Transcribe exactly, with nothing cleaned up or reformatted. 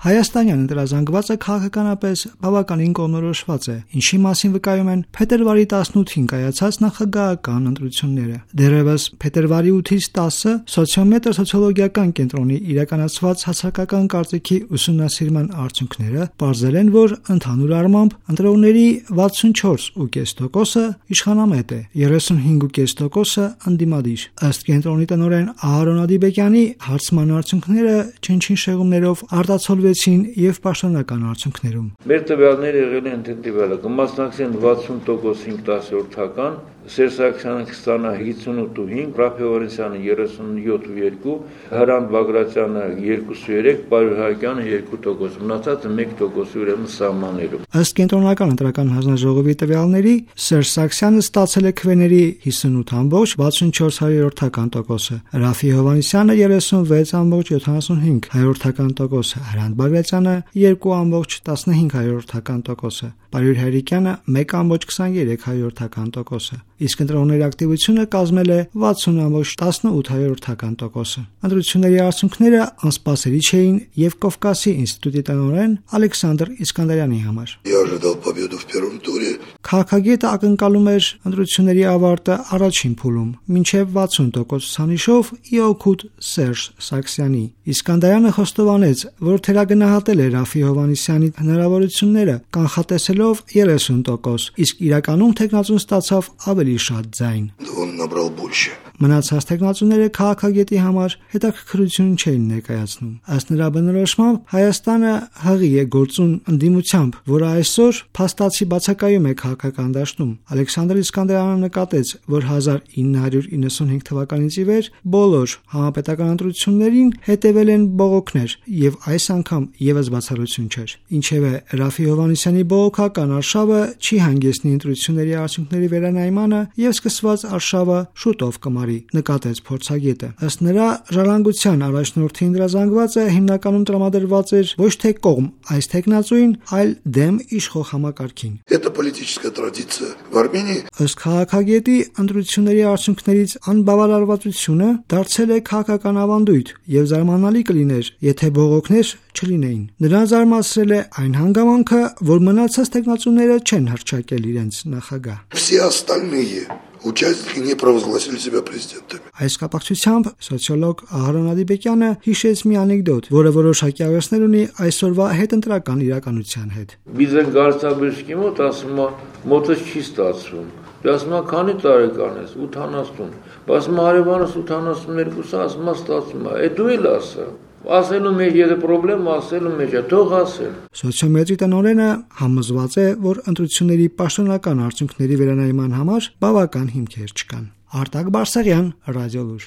Հայաստանյան ընտրազանգվածը քաղաքականապես բավականին կողմնորոշված է, ինչի մասին վկայում են փետրվարի տասնութին կայացած նախագահական ընտրությունները։ Դեռևս փետրվարի ութից տասը Սոցիոմետր սոցիոլոգիական կենտրոնի իրականացված հասարակական կարծիքի ուսումնասիրման արդյունքները պարզել են, որ ընդհանուր առմամբ ընտրողների վաթսունչորս կόμμα պենս տոկոսը իշխանամետ է, երեսունհինգ կόμμα պենս տոկոսը ընդդիմադիր։ Ըստ կենտրոնի տնօրեն Ահարոն Ադիբեկյանի, հարցման արդյունքները չնչին շեղումներով արտացոլվեցին եւ պաշտոնական արդյունքներում։ Մեր տվյալները եղել են տվյալը կմասնակցեն վաթսուն տոկոս հինգ տասնորդական, Սերժ Սարգսյանը կստանա հիսունութ կόμμα հինգ, Ռաֆֆի Հովհաննիսյանը երեսունյոթ կόμma երկու, Հրանտ Բագրատյանը երկու կόμma երեք, Պարույր Հայկյանը երկու տոկոս, մնացածը մեկ տոկոս ուրեմն սահմաններում։ Ըստ կենտրոնական ընտրական հանձնաժողովի տվյալների, Սերժ Սարգսյանը ստացել է քվեների հիսունութ կόμma վաթսունչորս տոկոսը, Ռաֆֆի Հովհաննիսյանը երեսունվեց կόμma յոթանասունհինգ տոկոսը, Հրանտ Բագրատյանը երկու կόμma տասնհինգ տոկոսը, Պարույր Հայկյանը մեկ կόμma քսաներեք տոկոսը, իսկ ընտրողների ակտիվությունը կազմել է վաթսուն կόμma տասնութ տոկոսը։ Ընտրությունների արդյունքները անսպասելի չէին եւ Կովկասի ինստիտուտի տնօրեն Ալեքսանդր Իսկանդարյանի համար։ Քաղաքագետը ակնկալում էր ընտրությունների ավարտը առաջին փուլում, մինչև վաթսուն տոկոս ցուցանիշով ի օգուտ Սերժ Սարգսյանի։ Իսկանդարյանը խոստովանեց, որ թերագնահատել է Ռաֆֆի Հովհաննիսյանի հնարավորությունները, կանխատեսելով երեսուն տոկոս, իսկ իրականում թեկնածուն ստացավ ավելի շատ ձայն։ Մնացած թեկնածուները քաղաքագետի համար հետաքրքրություն չէին ներկայացնում։ Ըստ նրա բնորոշմամբ, Հայաստանը հղի է գործուն ընդդիմությամբ, որը այսօր փաստացի բացակայում է քաղաքական դաշտում։ Ալեքսանդր Իսկանդարյանը նկատեց, որ հազար ինը հարյուր իննսունհինգ թվականից ի վեր բոլոր համապետական ընտրություններին հետևել են բողոքներ, եւ այս անգամ եւս բացառություն չէր։ Ինչևէ, Ռաֆֆի Հովհաննիսյանի բողոքական արշավը չի հանգեցնի ընտրությունների արդյունքների վերանայմանը եւ սկսված արշավը շուտով կմարի, նկատեց փորձագետը։ Ըստ նրա, ժառանգության առաջնորդի ընտրազանգվածը հիմնականում տրամադրված էր ոչ թե կողմ այս թեկնածուին, այլ դեմ իշխող համակարգին։ Ըստ քաղաքագետի, ընտրությունների արդյունքներից անբավարարվածությունը դարձել է քաղաքական ավանդույթ եւ զարմանալի կլիներ, եթե բողոքներ չլինեին։ Նրան զարմացրել է այն հանգամանքը, որ մնացած թեկնածուները չեն հռչակել իրենց նախագահ։ Участники не провозгласили себя президентами. Այս կապակցությամբ սոցիոլոգ Ահարոն Ադիբեկյանը հիշեց մի անեկդոտ, որը որոշակի աղերսներ ունի այսօրվա հետընտրական իրականության հետ։ Բիզեն գարցաբժշկի մոտ ասում է, մոտս չի ստացվում։ Ասում է, քանի տարեկան ես, ութանասուն։ Ասում է, հարևանս ութանասուններկուսը, ասում է, ստացվում է։ Է դու էլ ասա։ Ասելու մեջ եթե պրոբլեմ ասելու մեջ է, թող ասել։ Սոցիոմետրի տնօրենը համոզված է, որ ընտրությունների պաշտոնական արդյունքների վերանայման համար բավական հիմքեր չկան։ Արտակ Բարսեղյան, Ռադիոլուր։